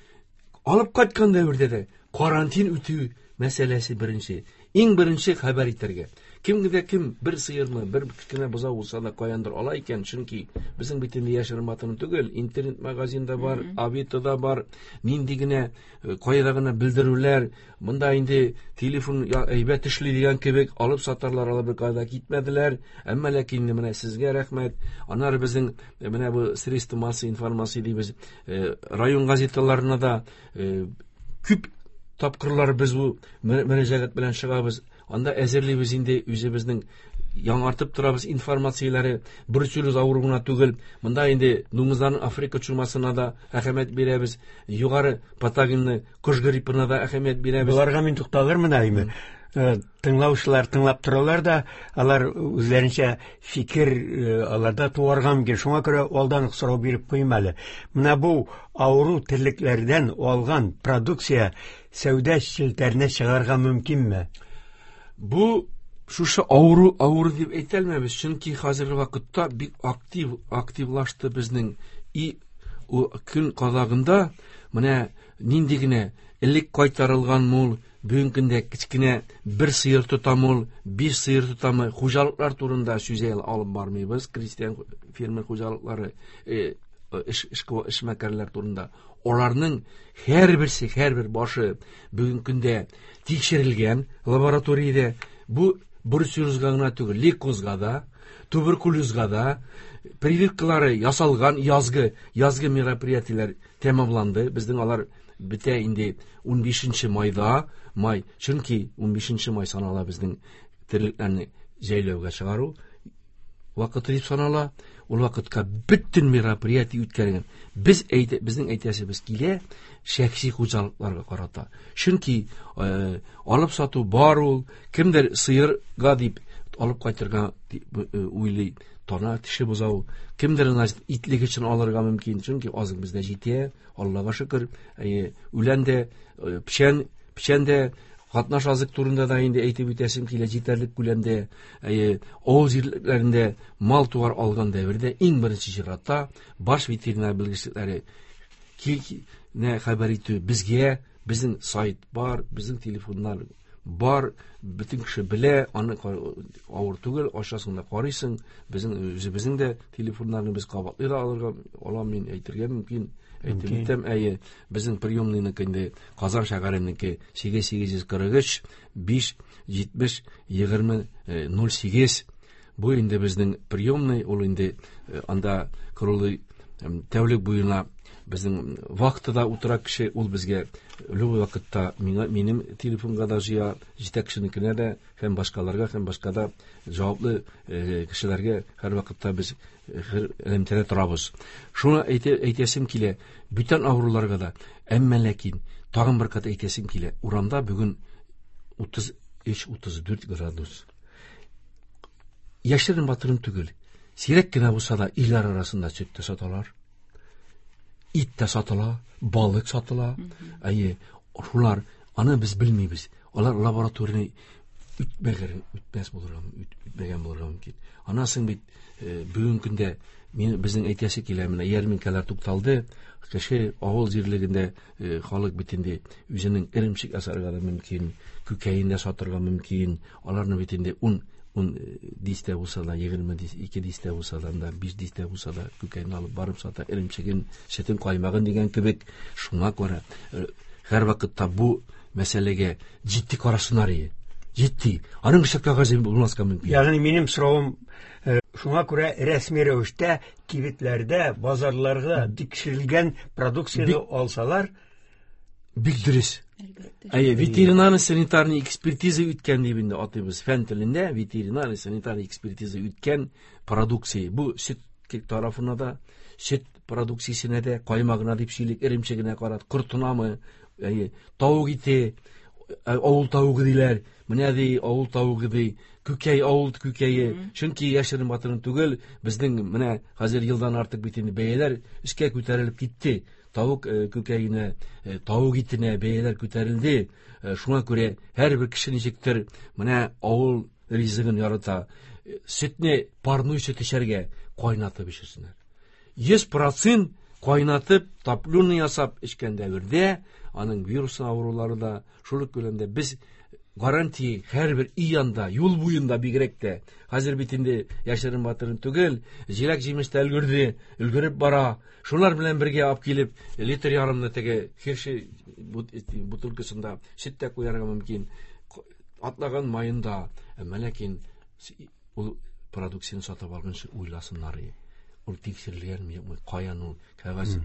алып кайткан дәвердә дә карантин үтү мәсьәләсе беренче. Иң беренче хәбәр итәргә. Кемгә кем бер сыермы, бер кечкенә бозау булса да каяндыр ала икән, чөнки безнең бит инде яшерен батырын түгел, интернет магазинда бар, Авитода бар, нинди генә кайда гына белдерүләр, монда инде телефон әйбәт эшли дигән кебек алып сатарлар, алар бер кайда китмәделәр. Әмма ләкин менә сезгә рәхмәт. Аннары безнең менә бу средства массовой информации дибез, район газеталарына да күп тапкырлар без бу мөрәҗәгать белән чыгабыз. Анда әзерлибез инде үзебезнең яңартып торабыз информацияләре, бруцеллез авыруына түгел. Монда инде дуңгызларның Африка чумасына да әһәмият бирәбез, югары патогенлы кош гриппына да әһәмият бирәбез. Боларга мин тукталырмын әйме? Тыңлаучылар тыңлап торалар да, алар үзләренчә фикер аларда туарга мөмкин. Шуңа күрә алдан ук сорау биреп куйым әле. Менә бу авыру терлекләрдән алган продукция сәүдә челтәренә чыгарга мөмкинме? Бу шушы авыру авыру дип әйтә алмабыз, чөнки хәзерге вакытта бик актив активлашты безнең и көн кадагында менә нинди генә элек кайтарылган мул, бүгенге көндә кечкенә бер сыер тотам ул, биш сыер тотамы, хуҗалыклар турында сүз алып бармыйбыз, крестьян фермер хуҗалыклары, эш эшмәкәрләр турында. Аларның һәрберсе, һәрбер башы бүгенге көндә тикшерелгән лабораториядә. Бу бруцеллезга гына түгел, лейкозга да, туберкулезга да прививкалары ясалган, язгы, язгы мероприятиеләр тәмамланды. Безнең алар бетә инде унбишенче майда, май, чөнки унбишенче май санала безнең терлекләрне җәйләүгә чыгару вакыты дип санала. Ул вакытка бөтен мероприятие үткәргән. Без әйтә, безнең әйтәсебез килә шәхси хуҗалыкларга карата. Чөнки э, алып сату бар ул, кемдер сыерга дип алып кайтырга уйлый, тана теше бозау, кемдер итлек өчен алырга мөмкин, чөнки азык бездә җитә, Аллага шөкер. Үлән дә, печән, печән дә, катнаш азык турында да инде әйтеп үтәсем килә, җитәрлек күләмдә. Авыл җирлекләрендә мал туар алган дәвердә иң беренче чиратта баш ветеринар белгечлекләре не хәбәр итү безгә, безнең сайт бар, безнең телефоннар бар, бөтен кеше белә, аны авыр түгел, ачасың да карыйсың, безнең үзебезнең дә телефоннарны без кабатлый да алырга алам мин әйтергә мөмкин. Әйтеп үтәм, әйе, безнең приемныйныкы инде Казан шәһәренеке сигез сигез йөз кырык өч биш җитмеш егерме ноль сигез. Бу инде безнең приемный, ул инде анда круглый тәүлек буена безнең вахтада утыра кеше, ул безгә любой вакытта миңа, минем телефонга да җыя, җитәкченекенә дә һәм башкаларга һәм башка да җаваплы кешеләргә һәр вакытта без элемтәдә торабыз. Шуны әйтә, әйтәсем килә, бүтән авыруларга да, әмма ләкин тагын бер кат әйтәсем килә, урамда бүген утыз өч утыз дүрт градус. Яшерен батырын түгел, сирәк кенә булса да илләр арасында сөт тә саталар, ит тә сатыла, балык сатыла. Әйе, шулар, аны без белмибез. Алар лабораторияне үтмәгән, үтмәс булырга, үтмәгән булырга мөмкин. Аннан соң бит бүгенге көндә мин безнең әйтәсе килә, менә ярминкәләр тукталды. Кеше авыл җирлегендә халык бит инде үзенең эремчек ясарга да мөмкин, күкәен дә сатырга мөмкин. Аларны бит инде ун ун дистә булса да, егерме ике дистә булса да, анда биш дистә булса да күкәйне алып барып сата, эремчеген, сөтен, каймагын дигән кебек. Шуңа күрә һәр вакытта бу мәсьәләгә җитди карасыннар иде. Җитди. Аның өчен кәгазе булмаска мөмкин. Ягъни минем соравым, шуңа күрә рәсми рәвештә кибетләрдә, базарларда тикшерелгән продукцияне алсалар бик дөрес. Әйе, ветеринарно-санитарный экспертиза үткән дип инде атыйбыз фән телендә, ветеринарно-санитарный экспертиза үткән продукция. Бу сөт тарафына да, сөт продукциясенә дә, каймагына дип сөйлик, эремчегенә карат, кортынамы, әйе, тавык ите, Авыл тавыгы диләр. Менә ди авыл тавыгы ди. Күкәй авыл күкәе. Чөнки яшерен батырын түгел, безнең менә хәзер елдан артык бит инде бәяләр өскә күтәрелеп китте. Тавык күкәенә, тавык итенә бәяләр күтәрелде. Шуңа күрә һәрбер кеше ничектер менә авыл ризыгын ярата. Сөтне парной сөт эчәргә кайнатып эчсеннәр. йөз процент кайнатып, топленый ясап эчкән дәвердә аның вирус авырулары да шул ук күләмдә без гарантия һәрбер өй янында, юл буенда бигрәк тә. Хәзер бит инде яшерен батырын түгел, җиләк җимеш тә өлгерде, өлгереп бара. Шулар белән бергә алып килеп, литр ярымны теге херши бутылкасында сөт тә куярга мөмкин. Атлаган маенда, әмма ләкин ул продукцияне сатып алганчы уйласыннар. Ул тикшерелгәнме, юкмы, каян ул кәгазь,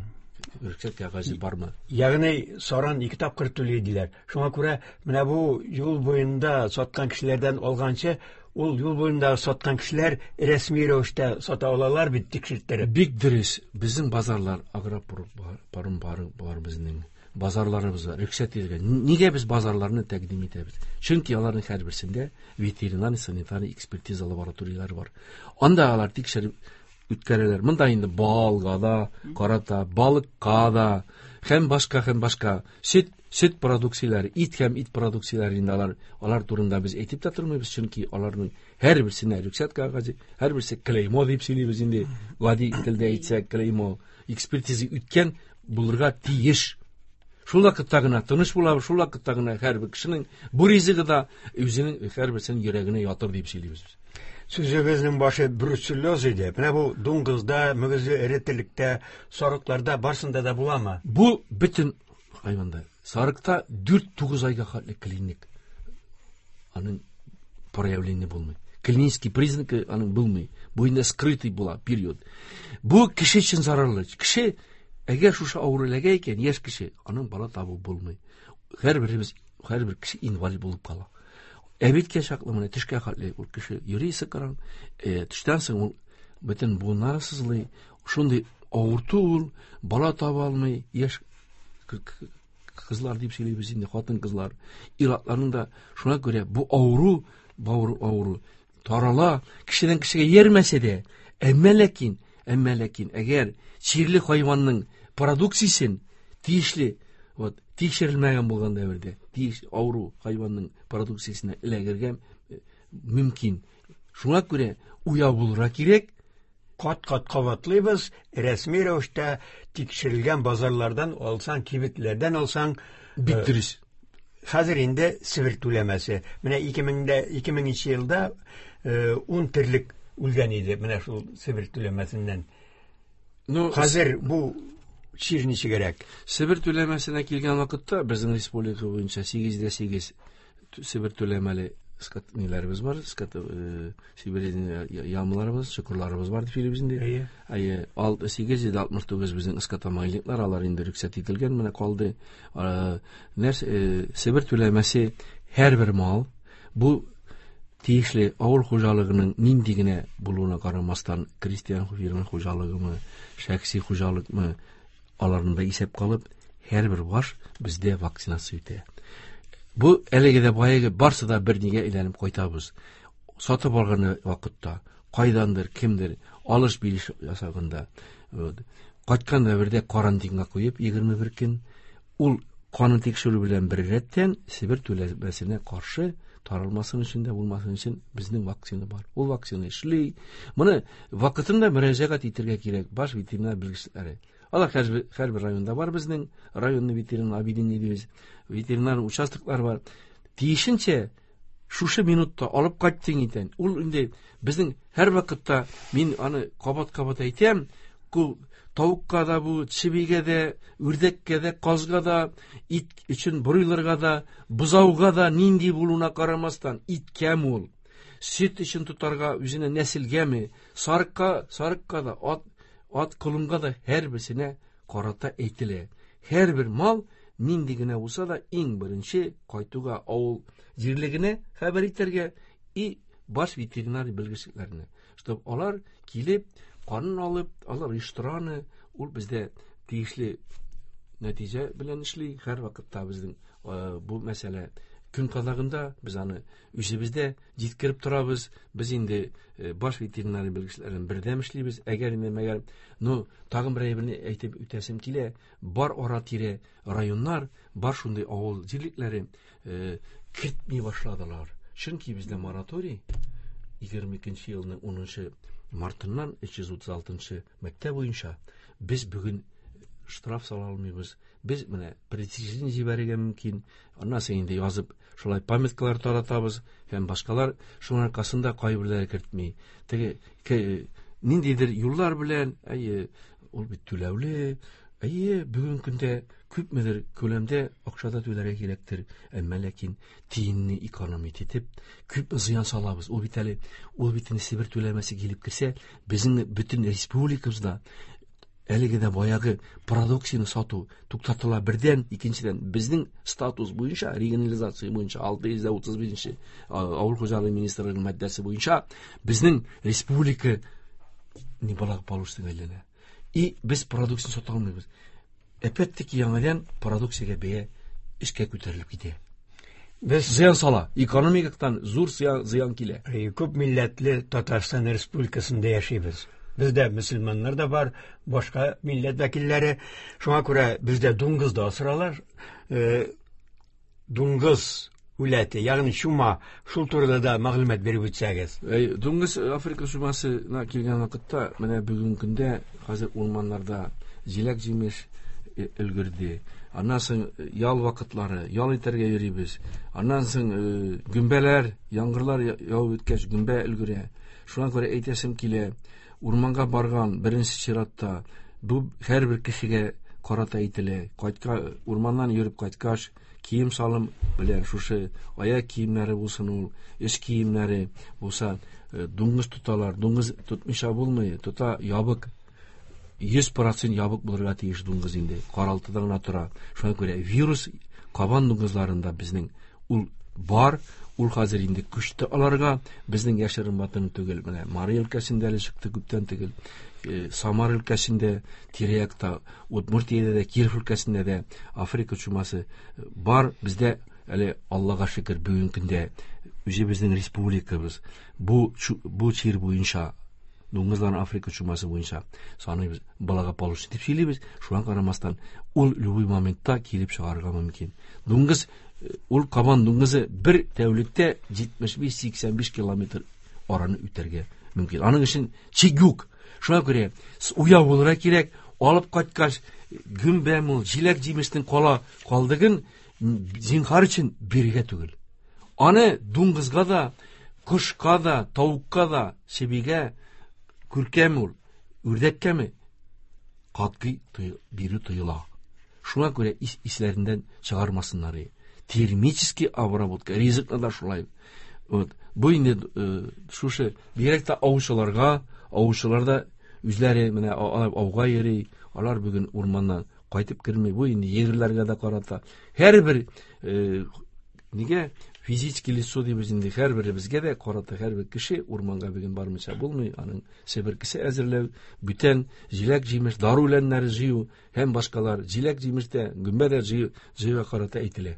рөхсәт кәгазе бармы? Ягъни саран ике тапкыр түли диләр. Шуңа күрә менә бу юл буенда саткан кешеләрдән алганчы, ул юл буенда саткан кешеләр рәсми рәвештә сата алалар бит тикшерттереп. Бик дөрес. Безнең базарлар агропарым бар, бар безнең базарларыбыз бар, рөхсәт ителгән. Нигә без базарларны тәкъдим итәбез? Чөнки аларның һәрберсендә ветеринар санитар экспертиза лабораторияләре бар. Анда алар тикшереп үткәрәләр. Монда инде балга да, карата, балыкка да, һәм башка, һәм башка сөт, сөт продукцияләре, ит һәм ит продукцияләре инде алар, алар турында без әйтеп тә тормыйбыз, чөнки аларның һәрберсенә рөхсәт кәгазе, һәрберсе клеймо дип сөйлибез инде. Гади телдә әйтсәк, клеймо экспертиза үткән булырга тиеш. Шул вакытта гына тыныч булабыз, шул вакытта гына һәрбер кешенең бу ризыгы да үзенең һәрберсенең йөрәгенә ятыр дип сөйлибез. Сүзебезнең башы бруцеллез иде. Менә бу дуңгызда, мөгезле эре терлектә, сарыкларда барсында да буламы? Бу бөтен хайванда. Сарыкта дүрт-тугыз айга хәтле клиник. Аның проявление булмый. Клинический признаки аның булмый. Бу инде скрытый була период. Бу кеше өчен зарарлы. Кеше әгәр шушы авыру эләгә икән, яшь кеше, аның бала табу булмый. Һәрберебез, һәрбер кеше инвалид булып кала. Әбиткә чаклы менә төшкә хәтле ул кеше йөри сыкран, төштән соң ул бөтен буыннары сызлый, шундый авырту ул, бала таба алмый, яшь кызлар дип сөйлибез инде, хатын-кызлар, ир-атларның да шуңа күрә бу авыру, бавыр авыру тарала, кешедән кешегә йөрмәсә дә, әмма ләкин, әмма ләкин әгәр чирле хайванның продукциясен тиешле, вот, тикшерелмәгән булган дәвердә, тиеш авыру хайванның продукциясенә эләгергә мөмкин. Шуңа күрә уяу булырга кирәк. Кат-кат кабатлыйбыз, рәсми рәвештә тикшерелгән базарлардан алсаң, кибетләрдән алсаң, бик дөрес. Хәзер инде Себер түләмәсе. Менә ике меңдә, ике меңенче елда ун терлек үлгән иде менә шул Себер түләмәсеннән. Ну, хәзер бу чир ничегрәк? Себер түләмәсенә килгән вакытта безнең республика буенча сигез дә сигез Себер түләмәле скот ниләребез бар, скот, Себер ямларыбыз, чокырларыбыз бар дип сөйлибез инде. Әйе. Әйе, алты, сигез йөз алтмыш тугыз безнең скотомайлыклар, алар инде рөхсәт ителгән, менә калды. Нәрсә, Себер түләмәсе һәрбер мал, бу тиешле авыл хуҗалыгының нинди генә булуына карамастан, крестьян фермер хуҗалыгымы, шәхси хуҗалыкмы, аларны да исәп калып, һәрбер баш бездә вакцинация үтә. Бу әлеге дә баягы барсы да бер нигә әйләнеп кайтабыз. Сатып алган вакытта кайдандыр, кемдер алыш-биреш ясаганда, вот, кайткан дәвердә карантинга куеп егерме бер көн ул канын тикшерү белән бер рәттән Себер түләмәсенә каршы таралмасын өчен дә булмасын өчен безнең вакцина бар. Ул вакцина эшли. Моны вакытында мөрәҗәгать итәргә кирәк баш ветеринар белгечләре. Алар һәрбер, һәрбер районда бар безнең районный ветеринар объединение дибез. Ветеринар участоклар бар. Тиешенчә шушы минутта алып кайттың икән. Ул инде безнең һәр вакытта мин аны кабат-кабат әйтәм, ку тавыкка да бу, чебигә дә, үрдәккә дә, казга да, ит өчен бройлерга да, бозауга да нинди булуына карамастан, иткәме ул, сөт өчен тотарга үзенә нәселгәме, сарыкка, сарыкка да, ат, ат колынга да һәрберсенә карата әйтелә. Һәрбер мал нинди генә булса да иң беренче кайтуга авыл җирлегенә хәбәр итәргә и баш ветеринар белгечләренә, чтоб алар килеп канын алып, алар оештыраны, ул бездә тиешле нәтиҗә белән эшли. Һәр вакытта безнең, э, бу мәсьәлә Көн кадагында без аны үзебездә җиткереп торабыз. Без инде баш ветеринария белгечләрен бердәм эшлибез. Әгәр инде мәгәр, ну, тагын бер әйберне әйтеп үтәсем килә. Бар ара-тирә районнар, бар шундый авыл җирлекләре кертми башладылар. Чөнки бездә мораторий егерме икенче елның унынчы мартыннан өч йөз утыз алтынчы мәктәп буенча без бүген штраф сала алмыйбыз. Без менә председатель җибәрергә мөмкин. Аннан соң инде язып шулай памяткалар таратабыз һәм башкалар. Шуның аркасында кайберләре кертми. Теге ниндидер юллар белән, әйе, ул бит түләүле, әйе, бүгенге көндә күпмедер күләмдә акча да түләргә кирәктер. Әмма ләкин тиенне экономить итеп күпме зыян салабыз. Ул бит әле, ул бит инде Себер түләмәсе килеп керсә, безнең бөтен республикабызда әлеге дә баягы продукцияне сату туктатыла бердән, икенчедән безнең статус буенча, регионализация буенча алты йөз утыз бишенче авыл хуҗалыгы министрлыгының маддәсе буенча безнең республика неблагополучныйга әйләнә. И без продукцияне сата алмыйбыз. Опять-таки яңадан продукциягә бәя эшкә күтәрелеп китә. Без зыян сала, экономикадан зур зыян килә. Күп милләтле Татарстан Республикасында яшибез. Бездә мөселманнар да бар, башка милләт вәкилләре. Шуңа күрә бездә дуңгыз да асралар. Дуңгыз үләте, ягъни чума, шул турыда да мәгълүмат биреп үтсәгез. Дуңгыз Африка чумасына килгән вакытта, менә бүгенге көндә хәзер урманнарда җиләк-җимеш өлгерде. Аннан соң ял вакытлары, ял итәргә йөрибез. Аннан соң гөмбәләр, яңгырлар явып үткәч гөмбә өлгерә. Шуңа күрә әйтәсем килә, урманга барган беренче чиратта бу һәрбер кешегә карата әйтелә. Кайтка, урманнан йөреп кайткач, кием салым белән шушы аяк киемнәре булсын ул, эш киемнәре булса, дуңгыз тоталар. Дуңгыз тотмыйча булмый, тота ябык. Йөз процент ябык булырга тиеш дуңгыз инде. Каралтыда гына тора. Шуңа күрә вирус кабан дуңгызларында безнең ул бар, ул хәзер инде күчте аларга. Безнең яшерен ватаны түгел. Менә Мари өлкәсендә әле чыкты күптән түгел. Самар өлкәсендә, тирә-якта, Удмуртиядә дә, Киров өлкәсендә дә Африка чумасы бар. Бездә әле Аллага шөкер бүгенге көндә үзебезнең республикабыз бу бу чир буенча, дуңгызларның Африка чумасы буенча саныйбыз, благополучный дип сөйлибез. Шуңа карамастан ул любой моментта килеп чыгарга мөмкин. Дуңгыз, ул кабан дуңгызы бер тәүлектә җитмеш биш-сиксән биш километр араны үтәргә мөмкин. Аның өчен чик юк. Шуңа күрә уяу булырга кирәк. Алып кайткач, гөмбә мул, җиләк-җимештең кала калдыгын зинһар өчен бирергә түгел. Аны дуңгызга да, кошка да, тавыкка да, чебигә, күркәме ул, үрдәккәме катгый бирү тыела. Шуңа күрә исләреннән чыгармасыннар. Термический обработка, ризыкны да шулай. Вот. Бу инде шушы бигрәк тә аучыларга, аучылар да үзләре менә ауга йөри, алар бүген урманнан кайтып керми. Бу инде егерләргә дә карата. Һәрбер нигә физический лицо дибез инде, һәрберебезгә дә карата һәрбер кеше урманга бүген бармыйча булмый. Аның себеркесе әзерләү, бүтән җиләк-җимеш, дару үләннәре җыю һәм башкалар, җиләк-җимеш тә, гөмбә дә җыю, җыюга карата әйтелә.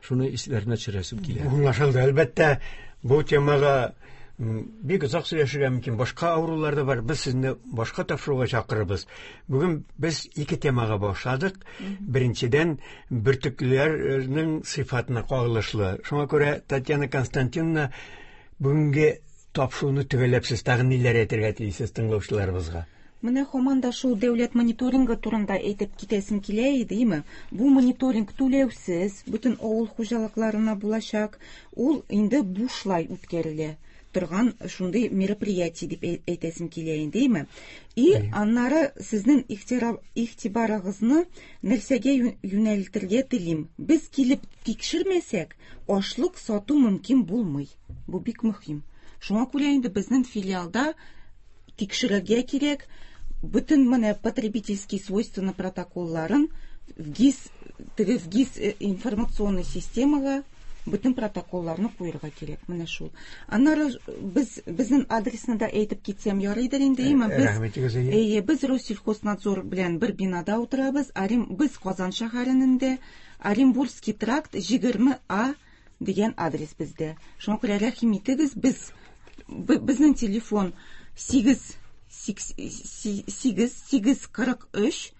Шуны исләренә төшерәсем килә. Аңлашылды. Әлбәттә, бу темага бик озак сөйләшергә мөмкин. Башка авырулар да бар. Без сезне башка тапшыруга чакырабыз. Бүген без ике темага башладык. Беренчедән, бөртеклеләрнең сыйфатына кагылышлы. Шуңа күрә Татьяна Константиновна, бүгенге тапшыруны төгәлләп сез тагын ниләр әйтергә телисез тыңлаучыларыбызга? Менә һаман да шул дәүләт мониторингы турында әйтеп китәсем килә иде, димме? Бу мониторинг түләүсез, бөтен авыл хуҗалыкларына булачак. Ул инде бушлай үткәрелә торган шундый мероприятие дип әйтәсем килә инде, димме? И аннары сезнең игътибарыгызны нәрсәгә юнәлтергә телим. Без килеп тикшермәсәк, ашлык сату мөмкин булмый. Бу бик мөһим. Шуңа күрә инде безнең филиалда тикшерергә кирәк. Бөтен менә потребительский свойства протоколларын в ГИС, теге в ГИС информационный системага бөтен протоколларны куярга кирәк. Менә шул. Аннары без безнең адресны да әйтеп китсәм ярыйдыр инде, әйме? Без, әйе, без Россельхознадзор белән бер бинада утырабыз. Арим, без Казан шәһәрендә, Оренбургский тракт егерме А дигән адрес бездә. Шуңа күрә рәхим итегез, без безнең телефон сигез сигез сигез кырык өч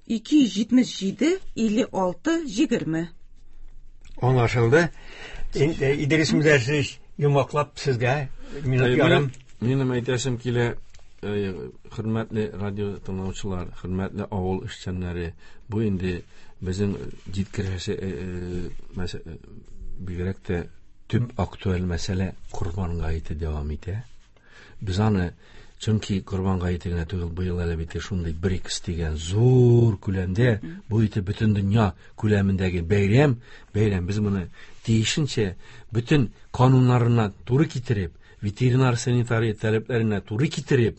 ике йөз җитмеш җиде илле алты егерме. Аңлашылды. Идрис Мөдәррисович, йомгаклап сезгә минут ярым. Минем әйтәсем килә, хөрмәтле радио тыңлаучылар, хөрмәтле авыл эшчәннәре, бу инде безнең җиткерәсе бигрәк тә төп актуаль мәсьәлә Корбан гаете дәвам итә. Без аны, чөнки Корбан гаете генә түгел, быел әле бит шундый БРИКС дигән зур күләмдә, бу ите бөтен дөнья күләмендәге бәйрәм, бәйрәм без моны тиешенчә бөтен кануннарына туры китереп, ветеринар санитария таләпләренә туры китереп,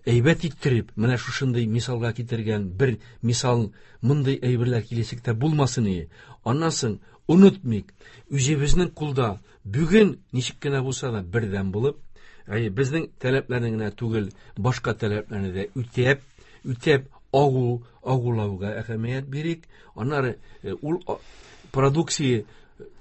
әйбәт иттереп, менә шушындый мисалга китергән бер мисал мондый әйберләр киләчәктә булмасын ие. Аннан соң онытмыйк, үзебезнең кулда бүген ничек кенә булса да бердәм булып, әйе, безнең таләпләрне генә түгел, башка таләпләрне дә үтәп, үтәп агу, агулауга әһәмият бирик. Аннары ул продукция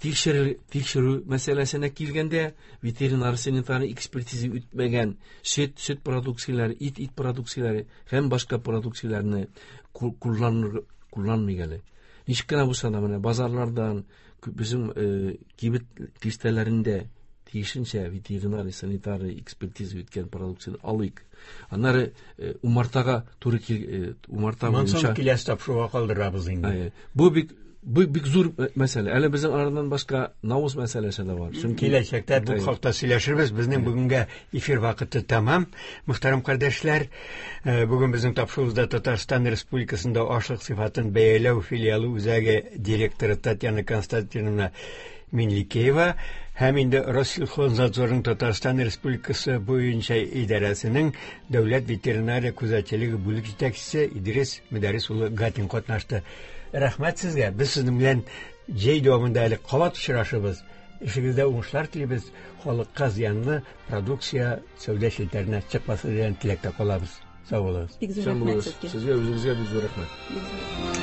тикшерү, тикшерү мәсьәләсенә килгәндә, ветеринар санитар экспертиза үтмәгән сөт, сөт продукцияләре, ит, ит продукцияләре һәм башка продукцияләрне кулланыр, кулланмыйк әле. Ничек кенә булса да менә базарлардан, безнең кибет киштәләрендә тиешенчә ветеринар санитар экспертиза үткән продукцияне алыйк. Аннары умартага туры кил, умарта буенча киләсе тапшыруга калдырабыз инде. Бу бик бу бик зур мәсьәлә. Әле безнең арадан башка навыз мәсьәләсе дә бар. Чөнки киләчәктә бу хакта сөйләшербез. Безнең бүгенгә эфир вакыты тәмам. Мөхтәрәм кардәшләр, бүген безнең тапшыруыбызда Татарстан Республикасында ашлык сыйфатын бәяләү филиалы үзәге директоры Татьяна Константиновна Минликеева һәм инде Россельхознадзорның Татарстан Республикасы буенча идарәсенең дәүләт ветеринария күзәтчелеге бүлек җитәкчесе Идрис Мөдәррис улы Гатин катнашты. Рәхмәт сезгә. Без сезнең белән җәй дәвамында әле кабат очрашырбыз. Эшегездә уңышлар телибез. Халыкка зыянлы продукция сәүдә челтәренә чыкмасын дигән теләктә калабыз. Сау булыгыз. Бик зур рәхмәт сезгә. Сезгә үзегезгә бик зур рәхмәт.